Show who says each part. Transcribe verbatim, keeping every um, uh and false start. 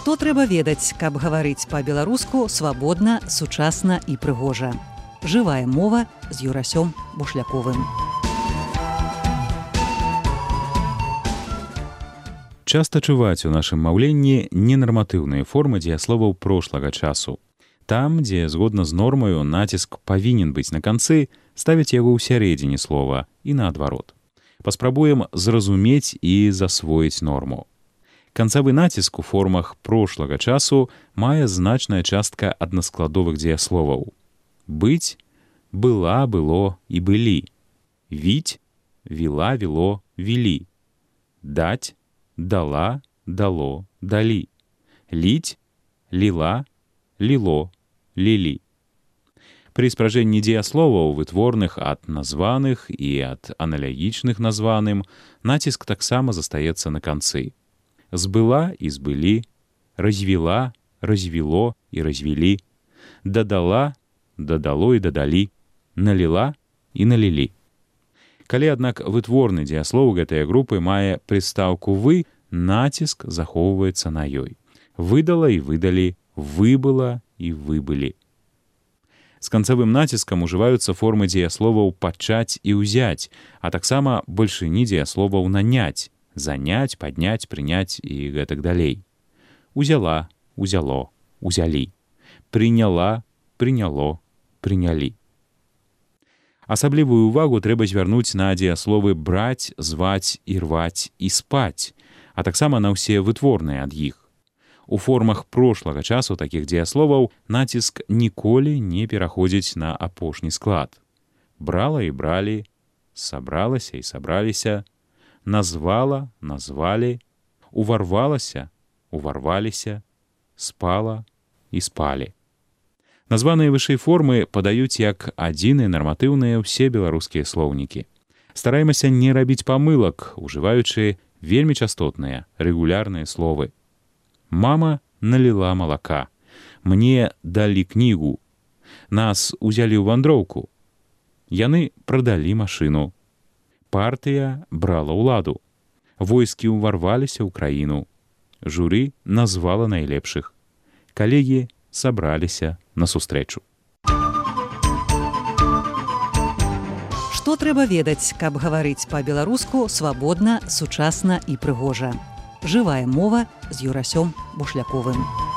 Speaker 1: Што трэба ведаць, каб гаварыць па-беларуску свабодна, сучасна і прыгожа. Жывая мова з Юрасём Бушляковым.
Speaker 2: Часта чуваць у нашым маўленні ненарматыўныя формы дзеясловаў прошлага часу. Там, дзе згодна з нормаю націск павінен быць на канцы, ставяць яго ў сярэдзіне слова і наадварот. Паспрабуем зразумець і засвоіць норму. Канцавы націск у формах прошлага часу мае значная частка аднаскладовых дзеясловаў. Быць, была, было і былі. Віць, віла, віло, вілі. Даць, дала, дало, далі. Ліць, ліла, ліло, лілі. Пры спражэнні дзеясловаў, вытворных ад названых і ад аналагічных названым, націск таксама застаецца на канцы. Збыла і збылі, развіла, развіло і развілі, дадала, дадало і дадалі, наліла і налілі. Калі, аднак, вытворны дзеяслоў гэтай групы мае прыстаўку «вы», націск захоўваецца на ёй. Выдала і выдалі, выбыла і выбылі. З канцавым націскам ужываюцца формы дзеясловаў «пачаць» і «узяць», а таксама бальшыні дзеясловаў «наняць», заняць, падняць, прыняць і гэтак далей. Узяла, узяло, узялі. Прыняла, прыняло, прынялі. Асаблівую ўвагу трэба звярнуць на дзеясловы браць, зваць, ірваць і спаць, а таксама на ўсе вытворныя ад іх. У формах прошлага часу такіх дзеясловаў націск ніколі не пераходзіць на апошні склад. Брала і бралі, сабралася і сабраліся, назвала, назвалі, уварвалася, уварваліся, спала і спалі. Названыя вышэй формы падаюць як адзіныя нарматыўныя ўсе беларускія слоўнікі. Стараемся не рабіць памылак, ужываючы вельмі частотныя, рэгулярныя словы. Мама наліла малака. Мне далі кнігу. Нас узялі ў вандроўку. Яны прадалі машыну. Партыя брала ўладу. Войскі ўварваліся ў краіну. Журы назвала найлепшых. Калегі сабраліся на сустрэчу.
Speaker 1: Што трэба ведаць, каб гаварыць па-беларуску свабодна, сучасна і прыгожа. Жывая мова з Юрасём Бушляковым.